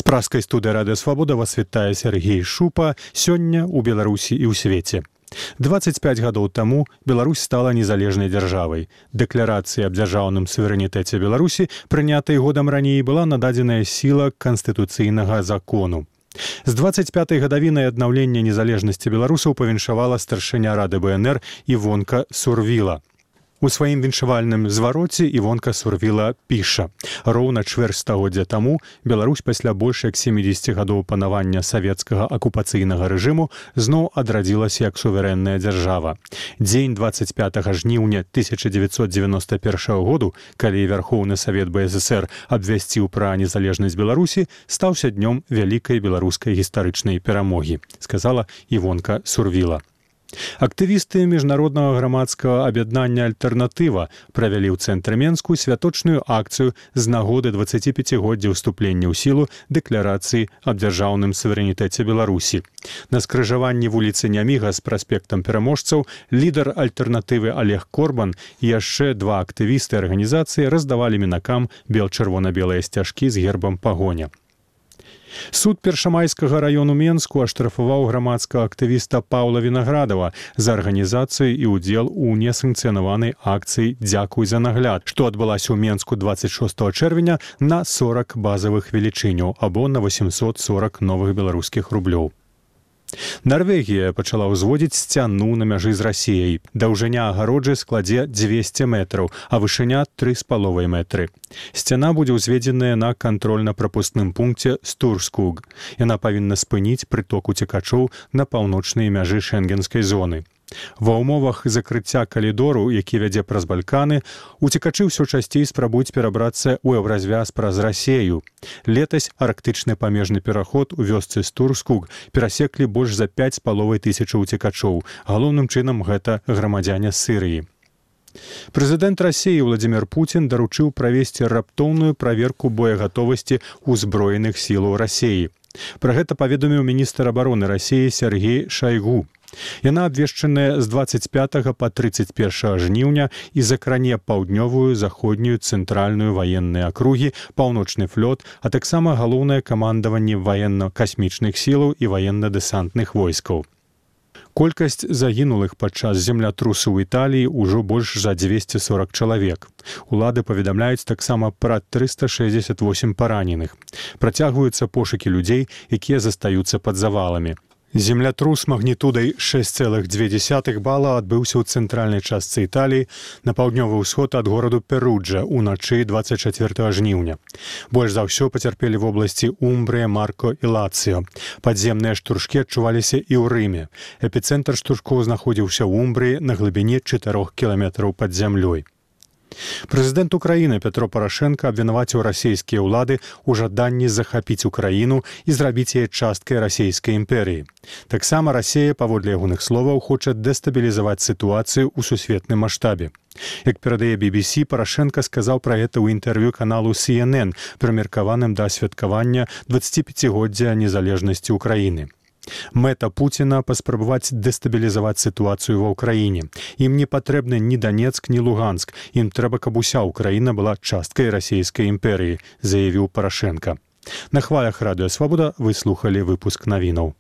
Праскай студыі Радыё Свабода вас вітае Сергей Шупа сёння ў Беларусі і ў свеце. 25 гадоў таму Беларусь стала незалежнай дзяржавай. Дэкларацыя аб дзяржаўным суверэнітэце Беларусі, прынятай годам раней, была нададзеная сіла канстытуцыйнага закону. З 25-й гадавінай аднаўлення незалежнасці беларусаў павіншавала старшыня Рады БНР Івонка Сурвіла. У сваім віншавальным звароце Івонка Сурвіла піша: «Роўна чвэрць стагоддзя таму Беларусь пасля больш як 70 гадоў панавання савецкага акупацыйнага рэжыму зноў адрадзілася як суверэнная дзяржава. Дзень 25 жніўня 1991 году, калі Вярхоўны Савет БССР абвясціў пра незалежнасць Беларусі, стаўся днём вялікай беларускай гістарычнай перамогі», сказала Івонка Сурвіла. Актывісты міжнароднага грамадскага аб'яднання «Альтэрнатыва» правялі ў цэнтры Менску святочную акцыю з нагоды 25годдзя ўступлення ў сілу дэкларацыі аб дзяржаўным суверэнітэце Беларусі. На скрыжаванні вуліцы Няміга з праспектам пераможцаў лідар «Альтэрнатывы» Олег Корбан і яшчэ два актывісты арганізацыі раздавалі мінакам бел-чырвона-белыя сцяжкі з гербам пагоня. Суд Першамайскага раёну Менску аштрафаваў грамадскага актывіста Паўла Вінаградава за арганізацыю і ўдзел у несанкцыянаванай акцыі «Дзякуй за нагляд», што адбылася ў Менску 26 чэрвеня на 40 базавых велічыняў або на 840 новых беларускіх рублёў. Нарвегія пачала ўзводзіць сцяну на мяжы з Расіяй. Даўжыня агароджы складзе 200 метраў, а вышыня 3,5 метры. Сцяна будзе ўзведзеная на кантрольна-прапускным пункце Стурскуг. Яна павінна спыніць прыток уцекачоў на паўночнай мяжы шэнгенскай зоны. Ва ўмовах закрыцця калідору, які вядзе праз Балканы, уцекачы ўсё часцей спрабуюць перабрацца ў еўразвяз праз Расею. Летась арктычны памежны пераход у вёсцы Стурскуг перасеклі больш за 5500 уцекачоў. Галоўным чынам гэта грамадзяне Сірыі. Прэзідэнт Расіі Владзімір Пуцін даручыў правесці раптоўную праверку боегатовасці ўзброеных сілаў Расіі. Пра гэта паведаміў міністр абароны Расіі Сергей Шайгу. Яна абвешчаная з 25 па 31 жніўня і закране паўднёвую, заходнюю, цэнтральную ваенныя акругі, паўночны флот, а таксама галоўнае камандаванне ваенна-касмічных сілаў і ваенна-дэсантных войскаў. Колькасць загінулых падчас землятрусу ў Італіі ўжо больш за 240 чалавек. Улады паведамляюць таксама пра 368 параненых. Працягваюцца пошукі людзей, якія застаюцца пад заваламі. Землятрус магнітудай 6,2 бала адбыўся ў цэнтральнай частцы Італіі на паўднёвы ўсход ад гораду Перуджа ўначы 24 жніўня. Больш за ўсё пацярпелі в обласці Умбрыя, Марко і Лацыо. Падземныя штуршкі адчуваліся і ў Рыме. Эпіцэнтр штуршкоў знаходзіўся ў Умбрыі на глыбіні 4 кіламетраў пад зямлёй. Прэзідэнт Украіны Петро Парашенка абвінаваціў расійскія ўлады ў жаданні захапіць Украіну і зрабіць яе часткай расійскай імперыі. Таксама Расія, паводле ягоных словаў, хоча дэстабілізаваць сітуацыю ў сусветным маштабе. Як перадае BBC, Парашенка сказаў пра гэта ў інтэрв'ю каналу CNN, прымеркаваным да святкавання 25годдзя незалежнасці Украіны. Мэта Пуціна паспрабаваць дэстабілізаваць сітуацыю ва ўкраіне. Ім не патрэбны ні Данецк, ні Луганск. Ім трэба, каб уся Украіна была часткай расійскай імперыі, заявіў Парашенка. На хвалях Радыё Свабода вы слухалі выпуск навінаў.